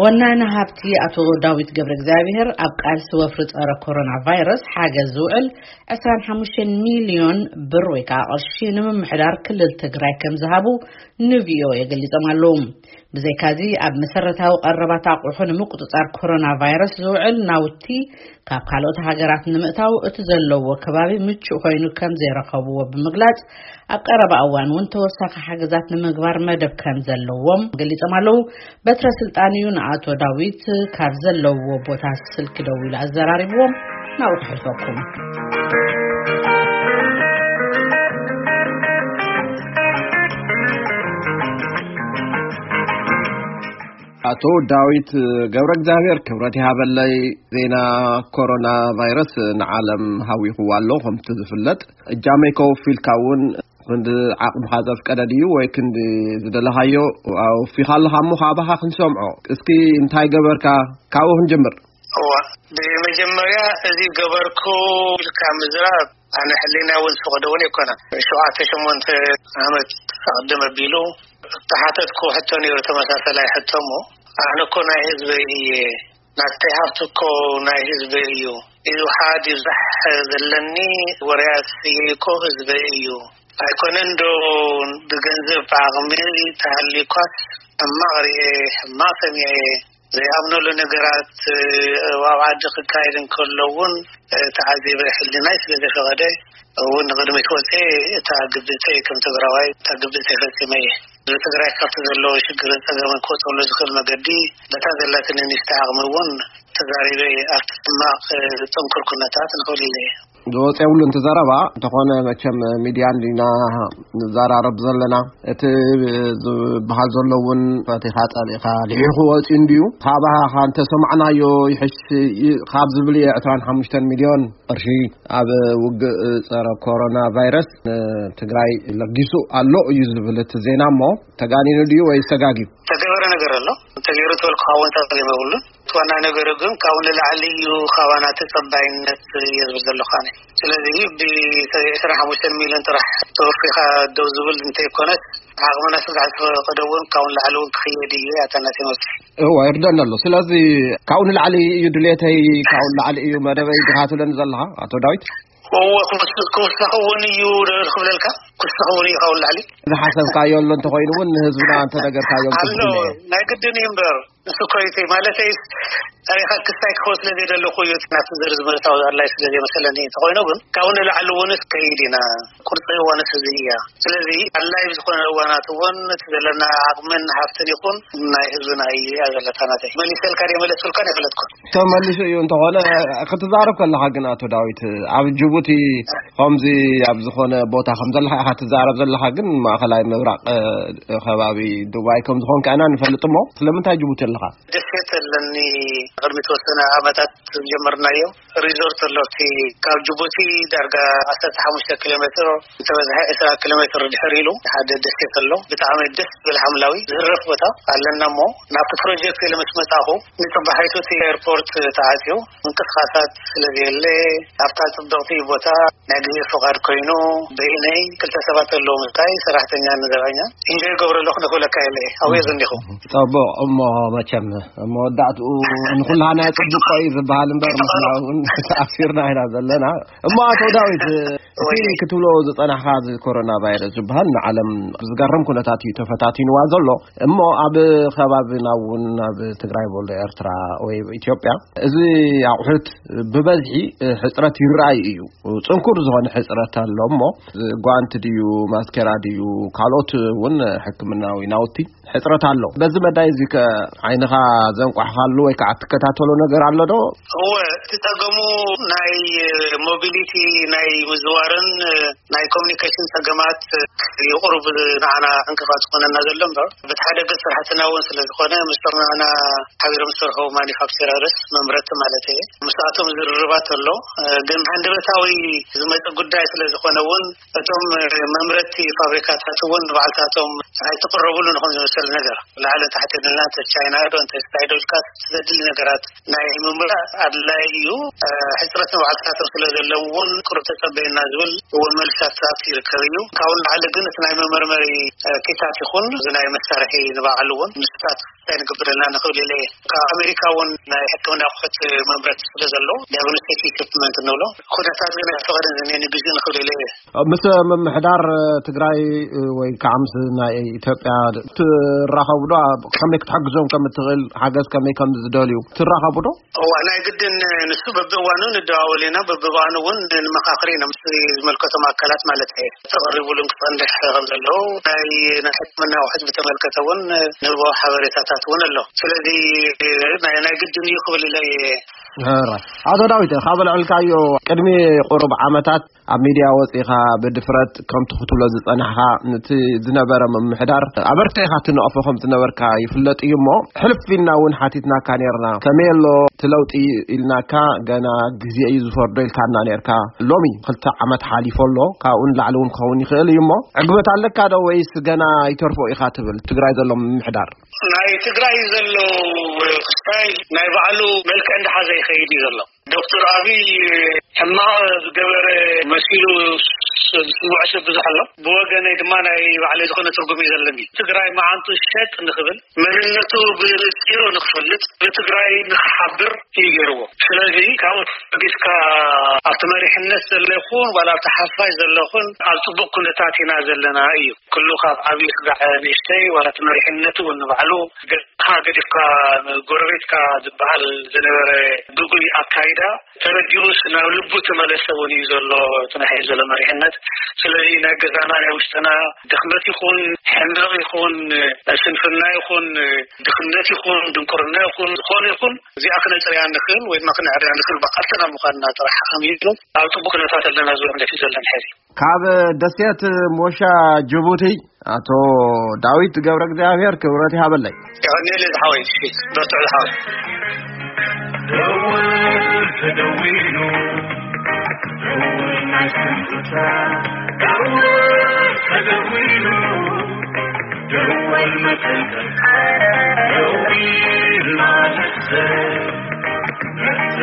ወናኒ ሃብቲ ኣቶ ዳዊት ገብረ እግዚኣብሔር፣ ኣብ ቃልሲ ወፍሪ ጸረ ኮሮና ቫይረስ ሓገዝ ዝውዕል ዕስራን ሓሙሽተን ሚልዮን ብር ወይ ከዓ ቅርሺ ንምምሕዳር ክልል ትግራይ ከም ዝሃቡ ንቪኦኤ ገሊጾም ኣለዉ። ብዘይካዚ፣ ኣብ መሰረታዊ ቀረባት ኣቑሑ ንምቁጽጻር ኮሮና ቫይረስ ዝውዕል ናውቲ ካብ ካልኦት ሃገራት ንምእታው እቲ ዘለዎ ከባቢ ምቹእ ኮይኑ ከም ዘይረኸብዎ ብምግላጽ፣ ኣብ ቀረባ እዋን እውን ተወሳኺ ሓገዛት ንምግባር መደብ ከም ዘለዎም ገሊጾም ኣለዉ። በትረ ስልጣን እዩ ንኣቶ ዳዊት ካብ ዘለዎ ቦታ ስልኪ ደዊሉ ኣዘራሪብዎም። ናብኡ ክሕልፈኩም። ኣቶ ዳዊት ገብረ እግዚኣብሔር፣ ክብረት ይሃበለይ። ዜና ኮሮና ቫይረስ ንዓለም ሃዊኽዋ ኣሎ። ከምቲ ዝፍለጥ፣ እጃመይ ከውፊልካ እውን ክንዲ ዓቕምኻ ዘፍቀደ ድዩ ወይ ክንዲ ዝደለኻዮ ኣውፊኻ ኣለኻ እሞ፣ ካባኻ ክንሰምዖ። እስኪ እንታይ ገበርካ? ካብኡ ክንጅምር። እዋ፣ ብመጀመርያ፣ እዚ ገበርኩ ኢልካ ምዝራብ፣ ኣነ ሕሊና እውን ዝፈቕዶ እውን ኣይኮነን። ሸውዓተ ሸሞንተ ዓመት ኣቕድም ኣቢሉ ዝተሓተትኩ ሕቶ ነይሩ፣ ተመሳሳላይ ሕቶ እሞ፣ ኣነ እኮ ናይ ህዝበይ እየ፣ ናተይ ሃብቲ እኮ ናይ ህዝበይ እዩ፣ ይውሓድ ይብዛሕ ዘለኒ ወርያስ እየ እኮ ህዝበይ እዩ። ኣይኮነን ዶ ብገንዘብ ብዓቕሚ ተሃልዩኳስ፣ ሕማቕ ርኤ፣ ሕማቕ ሰሚዐ፣ ዘይኣምነሉ ነገራት ኣብ ዓዲ ክካየድ እንከሎ እውን ተዓዚበ፣ ሕሊናይ ስለ ዘፈቐደ እውን ንቕድሚት ወፀ። እታ ግብእተይ ከም ትግራዋይ፣ እታ ግብእተይ ፈፂመ እየ። ንትግራይ ካብቲ ዘለዎ ሽግርን ፀገምን ክወፀሉ ዝኽእል መገዲ፣ በታ ዘላትኒ ንእሽተይ ዓቕሚ እውን ተዛሪበ እየ። ኣብቲ ሕማቕ ፅንኩር ኩነታት ንኽእል እየ። ዝወፀ የብሉን እቲ ዘረባ። እንተኾነ፣ መቸም ሚድያ እንዲና ንዘራረብ ዘለና። እቲ ዝበሃል ዘሎ እውን ፈቲኻ ጸሊእኻ ልሒኹ ወፂኡ እንድዩ። ካባኻ እንተሰማዕናዮ ይሕሽ ይ-፣ ካብ ዝብል እየ ዕስራን ሓሙሽተን ሚልዮን ቅርሺ ኣብ ውግእ ጸረ ኮሮና ቫይረስ ንትግራይ ለጊሱ ኣሎ እዩ ዝብል እቲ ዜና። እሞ ተጋኒኑ ድዩ ወይስ ተጋግዩ? ተገበረ ነገር ኣሎ። ተገይሩ ተበልኩ ክኸውን ጸገም የብሉን። እቲ ዋና ነገሩ ግን ካብኡ ንላዕሊ እዩ፣ ካባና ተጸባይነት እየ ዝብል ዘለኹ ኣነ። ስለዚ ብዕስራን ሓሙሽተን ሚልዮን ጥራሕ ተወፊኻ ደው ዝብል እንተይኮነስ፣ ዓቕምና ስጋዕ ዝፈቀደ እውን ካብኡ ንላዕሊ እውን ክኽየድ እዩ። ኣታ ናተይ መልሲ። እዋ፣ ይርደኒ ኣሎ። ስለዚ ካብኡ ንላዕሊ እዩ ድሌተይ፣ ካብኡ ንላዕሊ እዩ መደበይ ዲኻ ትብለኒ ዘለኻ ኣቶ ዳዊት? እወ፣ ክውስ-፣ ክውስኽ እውን እዩ ዶ ክብለልካ? ክውስኽ እውን እዩ ካብኡ ንላዕሊ። ዝሓሰብካዮ ኣሎ እንተኾይኑ እውን ንህዝብና እንተነገርካዮ ኣሎ። ጽቡቕ እዩ። ናይ ግድን እዩ እምበር። ንሱ እኮ እዩ ማለተይስ፣ ታሪኻ ክስታይ ክኸውን ስለ ዘይደለኹ እዩ። ናብቲ ዘርዚ ምእታው ኣድላይ ስለ ዘይመሰለኒ። እንተኾይኑ ግን፣ ካብኡ ንላዕሊ እውን ከይድ ኢና። ቁርፂ እዋንስ እዚ እያ። ስለዚ ኣድላይ ብዝኾነ እዋናት እውን እቲ ዘለና ዓቕምን ሃብትን ይኹን ናይ ህዝብና እዩ እያ ዘለታ ናተይ። መሊሰልካ ድየ መለስኩልካን ኣይፈለጥኩን። ተመሊሱ እዩ። እንተኾነ ክትዛረብ ከለኻ ግን ኣቶ ዳዊት፣ ኣብ ጅቡቲ ከምዚ ኣብ ዝኾነ ቦታ ከም ዘለኻ ኢኻ ትዛረብ ዘለኻ፣ ግን ማእኸላይ ምብራቕ፣ እ፣ ከባቢ ዱባይ ከም ዝኾንካ ኢና ንፈልጥ። እሞ ስለምንታይ ጅቡቲ ኣለኻ? ደሴት ኣለኒ። ቅድሚ ተወሰነ ዓመታት ዝጀመርናዮ ሪዞርት ኣሎ። እቲ ካብ ጅቡቲ ዳርጋ ዓሰርተ ሓሙሽተ ኪሎ ሜትር፣ እንተበዝሐ ዕስራ ኪሎ ሜትር ድሕር ኢሉ ሓደ ደሴት ኣሎ። ብጣዕሚ ደስ ዝብል ሓምላዊ ዝህረፍ ቦታ ኣለና። እሞ ናብቲ ፕሮጀክት ኢለ ምስ መጻኹ፣ ንጽባሒቱ እቲ ኤርፖርት ተዓጽዩ፣ ምንቅስቃሳት ስለ ዘየለ፣ ኣብታ ጽብቕቲ ቦታ ናይ ግዜ ፍቓድ ኮይኑ፣ በይነይ ክልተ ሰባት ኣለዉ፣ ምሳይ ሰራሕተኛ ንዘብዐኛ። ኢንጆይ ገብረ ኣለኹ ንኽብለካ የለ፣ ኣብኡ እየ ዘኒኹ። ጽቡቕ። እሞ መቸም መወዳእትኡ ንኹላና ጽቡቕ እዩ ዝበሃል እምበር፣ ንሕና እውን ተኣሲርና ኢና ዘለና። እሞ ኣቶ ዳዊት፣ እቲ ወይ ክትብሎ ዝጸናሕካ፣ እዚ ኮሮና ቫይረስ ዝበሃል ንዓለም ብዝገርም ኩነታት እዩ ተፈታቲንዋ ዘሎ። እሞ ኣብ ከባቢና እውን፣ ኣብ ትግራይ በሎ ኤርትራ ወይ ኢትዮጵያ፣ እዚ ኣቑሑት ብበዝሒ ሕጽረት ይረኣይ እዩ። ጽንኩር ዝኾነ ሕጽረት ኣሎ። እሞ ጓንቲ ድዩ፣ ማስኬራ ድዩ፣ ካልኦት እውን ሕክምናዊ ናውቲ ሕጽረት ኣሎ። በዚ መዳይ እዚ ከ ዓይንኻ ዘንቋሕካሉ ወይ ከዓ ትከታተሎ ነገር ኣሎ ዶ? እወ፣ እቲ ጸገሙ ናይ ሞቢሊቲ፣ ናይ ምዝዋርን ናይ ኮሚኒኬሽን ጸገማት እዩ ቁሩብ ንዓና ዕንቅፋት ዝኾነና ዘሎ እምበር፣ በቲ ሓደ ገጽ ስራሕትና እውን ስለ ዝኾነ፣ ምስቶም ንዓና ሓቢሮም ዝሰርሑ ማኒፋክቸረርስ፣ መምረቲ ማለት እየ፣ ምስኣቶም ዝርርባት ኣሎ። ግን ሃንደበታዊ ዝመጽእ ጉዳይ ስለ ዝኾነ እውን፣ እቶም መምረቲ ፋብሪካታት እውን ንባዕልታቶም ኣይተቕረቡሉን፣ ንኹን ዝመሰል ነገር ላዕሊ ታሕቲ ኢልና፣ እንተ ቻይና ዶ፣ እንተ እንታይ ዶ ኢልካ ዘድሊ ነገራት ናይ ምምላእ ኣድላይ እዩ። ሕጽረት ንባዕልታቶም ስለ ዘለዎም እውን፣ ቁሩብ ተጸበየና ዝብል እውን መልስታት ይርከብ እዩ። ካብኡ ንላዕሊ ግን፣ እቲ ናይ መመርመሪ ኪታት ይኹን፣ እዚ ናይ መሳርሒ ንባዕሉ እውን፣ ንሱታት እንታይ ንገብረልና ንኽብል ኢለ እየ። ካብ ኣሜሪካ እውን ናይ ሕክምና ኣቑሑት መምረት ስለ ዘሎ፣ ዲያግኖስቲክ ኢኩፕመንት እንብሎ፣ ኩነታት ግን ኣይፈቐደን እየ ንግዜኡ ንኽብል ኢለ እየ። ምስ ምምሕዳር ትግራይ ወይ ከዓ ምስ ናይ ኢትዮጵያ ትራኸቡ ዶ? ኣብ ከመይ ክትሕግዞም ከም እትኽእል፣ ሓገዝ ከመይ ከም ዝደልዩ ትራኸቡ ዶ? እዋ፣ ናይ ግድን ንሱ በብእዋኑ ንደዋወል ኢና፣ በብእዋኑ እውን ንመኻኽር ኢና፣ ምስ ዝመልከቶም ኣካላት ማለት እየ። ተቐሪቡሉን ክጸንሕ ከም ዘለዎ፣ ናይ፣ ናይ ሕክምና ኣቑሑት ብተመልከተ እውን ንህቦ ሓበሬታታት እውን ኣሎ። ስለዚ ናይ፣ ናይ ግድን እዩ ክብል ኢለ እየ። ሕራይ። ኣቶ ዳዊት፣ ካብ ልዕልካዮ ቅድሚ ቁሩብ ዓመታት ኣብ ሚድያ ወፂኻ ብድፍረት ከምቲ ክትብሎ ዝፀናሕካ፣ ነቲ ዝነበረ ምምሕዳር ኣበርቲዕካ ትነቕፎ ከም ዝነበርካ ይፍለጥ እዩ። እሞ ሕልፍ ኢልና እውን ሓቲትናካ ነርና፣ ከመይ ኣሎ እቲ ለውጢ ኢልናካ፣ ገና ግዜ እዩ ዝፈርዶ ኢልካና ነርካ። ሎሚ ክልተ ዓመት ሓሊፎ ኣሎ፣ ካብኡ ንላዕሊ እውን ክኸውን ይኽእል እዩ። እሞ ዕግበት ኣለካ ዶ ወይስ ገና ይተርፎ ኢኻ ትብል ትግራይ ዘሎ ምምሕዳር? ናይ ትግራይ ዘሎ ክስታይ ናይ ባዕሉ መልክዕ እንዳሓዘ ይኸይድ እዩ ዘሎ። ዶክተር ኣብይ ሕማቕ ዝገበረ መሲሉ ዝስምዖ ሰብ ብዙሕ ኣሎ። ብወገነይ ድማ ናይ ባዕለይ ዝኾነ ትርጉም እዩ ዘለኒ። ትግራይ መዓንጡ ሸጥ ንኽብል፣ መንነቱ ብንፂሩ ንኽፈልጥ፣ ብትግራይ ንኽሓብር እዩ ገይርዎ። ስለዚ ካብኡ ተበጊስካ ኣብቲ መሪሕነት ዘሎ ይኹን ዋላ ኣብቲ ሓፋሽ ዘሎ ይኹን ኣብ ፅቡቕ ኩነታት ኢና ዘለና እዩ። ኩሉ ካብ ዓብዪ ስጋዕ ንእሽተይ ዋላ እቲ መሪሕነት እውን ንባዕሉ ገድካ ገዲፍካ ንጎረቤትካ ዝበሃል ዝነበረ ግጉይ ኣካይዳ ተረዲኡስ ናብ ልቡ ተመለሰ እውን እዩ ዘሎ እቲ ናይ ሕዚ ዘሎ መሪሕነት። ስለዚ ናይ ገዛና ናይ ውሽጥና ድኽመት ይኹን ሕመቕ ይኹን ስንፍና ይኹን ድኽነት ይኹን ድንቁርና ይኹን ዝኾነ ይኹን እዚኣ ክነፅርያ ንኽእል ወይ ድማ ክነዕርያ ንኽእል ብዓልትና ምዃንና ጥራሕ ሓሚሉ ኣብ ፅቡቅ ኩነታት ኣለና ዝብል እምነት እዩ ዘለኒ ሕዚ። ካብ ደሴት ሞሻ ጅቡቲ ኣቶ ዳዊት ገብረ እግዚኣብሔር ክብረት ይሃበለይ። የቐንየለይ ዝሓወይ፣ እሺ፣ በርትዕ ዝሓወይ። ደወል ተደዊሉ፣ ደወል ናይ ስንብታ፣ ደወል ተደዊሉ፣ ደወል መጠንቀቅ፣ ደዊልና ነሕዘ፣ ነሕዘ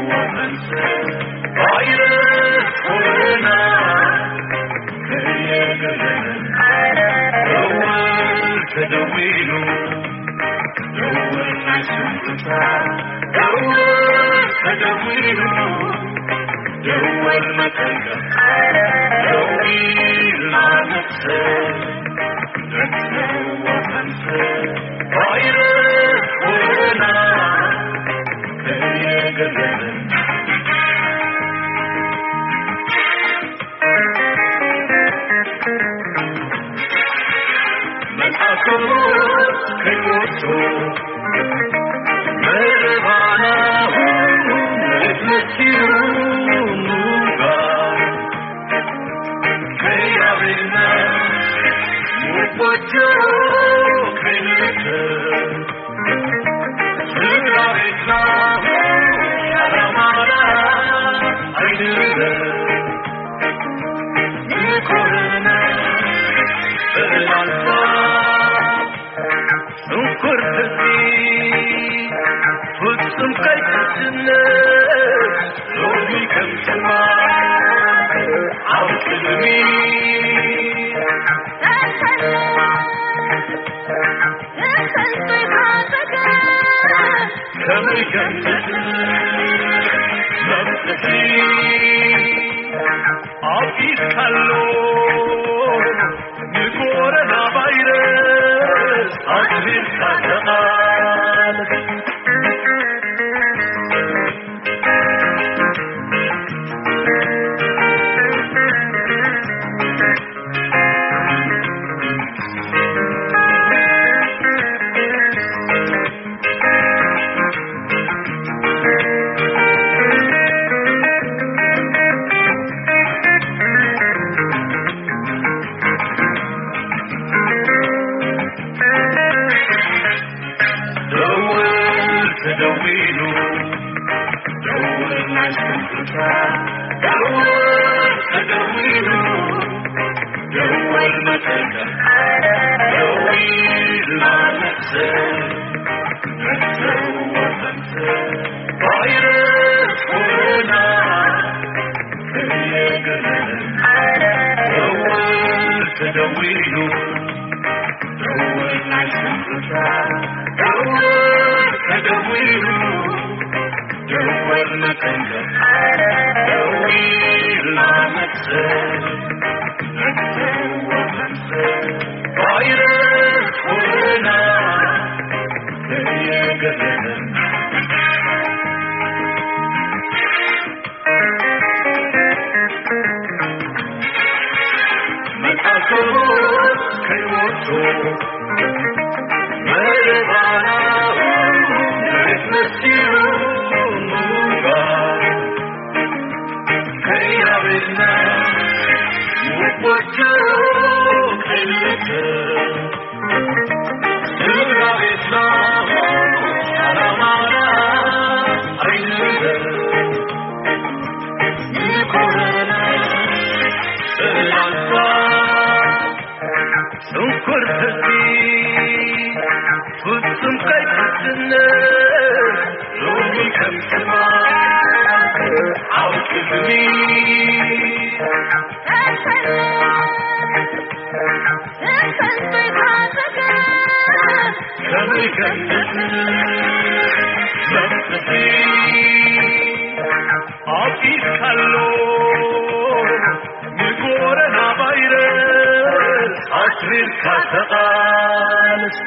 ወፈንሰ፣ ቫይረስ ኮሮና ከየገለለ፣ ደወል ተደዊሉ፣ ደወል ናይ ስንብታ፣ ደወል ተደዊሉ፣ ደወል መጠንቀቅ፣ ደዊልና ነሕዘ፣ ነሕዘ ወፈንሰ፣ ቫይረስ ኮሮና ከየገለለ፣ መልሓሶም ከይወስዱ፣ መረባና መሲሉ ምንባር፣ ከያቤትና ንጎጆ ከይንርከብ፣ ስድራ ቤትና ዓላማና ኣይንበር። ንኮረና ሰላምታ ስንኩር ህዝቢ ፍጹም ከይትስነ ሎሚ ከም ትማል ኣብ ቅድሚ ከመይ ከም ትስነ መብጽሒ ኣቢስካሎ ንኮረና ቫይረስ ኣትሪርካ ተቓለስ። ደወል ተደዊሉ፣ ደወል ናይ ስንብታ፣ ደወል ተደዊሉ፣ ደወል መጠንቀቅ፣ ደዊልና ነሕዘ፣ ነሕዘ ወፈንሰ፣ ቫይረስ ኮሮና ከየገለለ፣ ደወል ተደዊሉ፣ ደወል ናይ ስንብታ፣ ጽንኩር ህዝቢ ፍጹም ከይትስነ ሎሚ ከም ትማል ኣብ ቅድሚ ከመይ ከም ትስነ መፍትሒ ኣፊስካሎ ንኮረና ቫይረስ ኣትሪርካ ተቓለስ።